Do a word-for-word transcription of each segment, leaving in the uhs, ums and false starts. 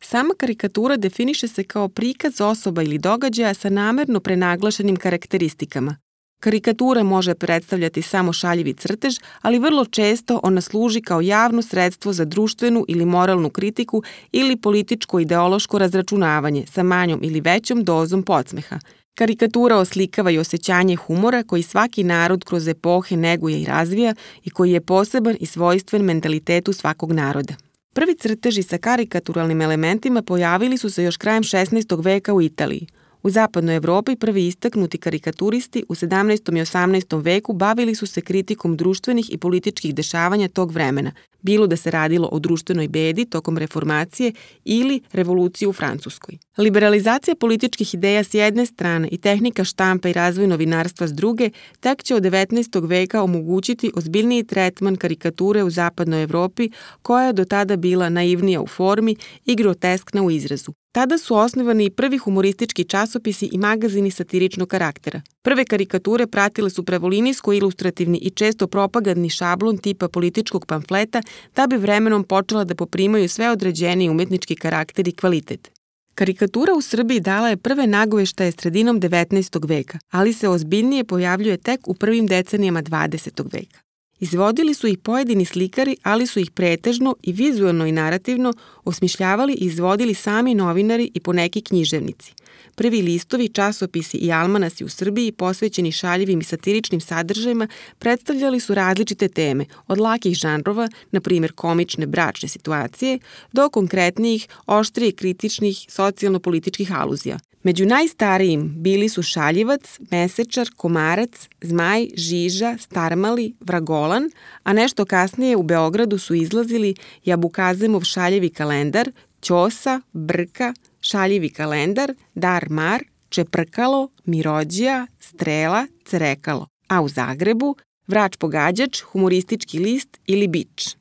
Sama karikatura definiše se kao prikaz osoba ili događaja sa namerno prenaglašenim karakteristikama. Karikatura može predstavljati samo šaljivi crtež, ali vrlo često ona služi kao javno sredstvo za društvenu ili moralnu kritiku ili političko-ideološko razračunavanje sa manjom ili većom dozom podsmeha. Karikatura oslikava i osjećanje humora koji svaki narod kroz epohe neguje i razvija i koji je poseban i svojstven mentalitetu svakog naroda. Prvi crteži sa karikaturalnim elementima pojavili su se još krajem šesnaestog veka u Italiji. U zapadnoj Evropi prvi istaknuti karikaturisti u sedamnaestom i osamnaestom veku bavili su se kritikom društvenih i političkih dešavanja tog vremena, bilo da se radilo o društvenoj bedi tokom reformacije ili revolucije u Francuskoj. Liberalizacija političkih ideja s jedne strane i tehnika štampa i razvoj novinarstva s druge tek će od devetnaestog veka omogućiti ozbiljniji tretman karikature u zapadnoj Evropi, koja je do tada bila naivnija u formi i groteskna u izrazu. Tada su osnovani i prvi humoristički časopisi i magazini satiričnog karaktera. Prve karikature pratile su pravolinijsko-ilustrativni i često propagandni šablon tipa političkog pamfleta, da bi vremenom počela da poprimaju sve određeniji umetnički karakter i kvalitet. Karikatura u Srbiji dala je prve nagoveštaje sredinom devetnaestog veka, ali se ozbiljnije pojavljuje tek u prvim decenijama dvadesetog veka. Izvodili su ih pojedini slikari, ali su ih pretežno i vizuelno i narativno osmišljavali i izvodili sami novinari i poneki književnici. Prvi listovi, časopisi i almanasi u Srbiji, posvećeni šaljivim i satiričnim sadržajima, predstavljali su različite teme, od lakih žanrova, na primjer komične bračne situacije, do konkretnijih, oštrije kritičnih socijalno-političkih aluzija. Među najstarijim bili su Šaljivac, Mesečar, Komarac, Zmaj, Žiža, Starmali, Vragolan, a nešto kasnije u Beogradu su izlazili Jabukazemov šaljivi kalendar, Ćosa, Brka, Šaljivi kalendar, Dar Mar, Čeprkalo, Mirođija, Strela, Cerekalo, a u Zagrebu Vrač pogađač, humoristički list ili Bič.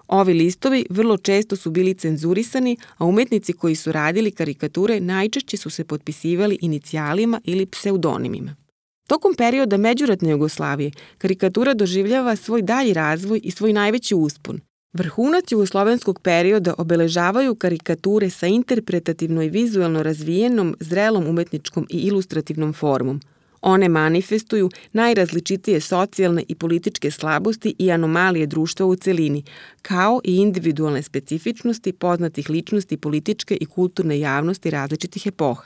Ovi listovi vrlo često su bili cenzurisani, a umetnici koji su radili karikature najčešće su se potpisivali inicijalima ili pseudonimima. Tokom perioda međuratne Jugoslavije, karikatura doživljava svoj dalji razvoj i svoj najveći uspon. Vrhunac jugoslovenskog perioda obeležavaju karikature sa interpretativno i vizuelno razvijenom, zrelom umetničkom i ilustrativnom formom. One manifestuju najrazličitije socijalne i političke slabosti i anomalije društva u celini, kao i individualne specifičnosti poznatih ličnosti političke i kulturne javnosti različitih epoha.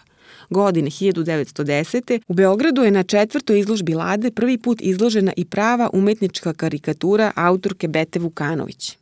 Godine hiljadu devetsto desete. u Beogradu je na četvrtoj izložbi Lade prvi put izložena i prava umetnička karikatura autorke Bete Vukanović.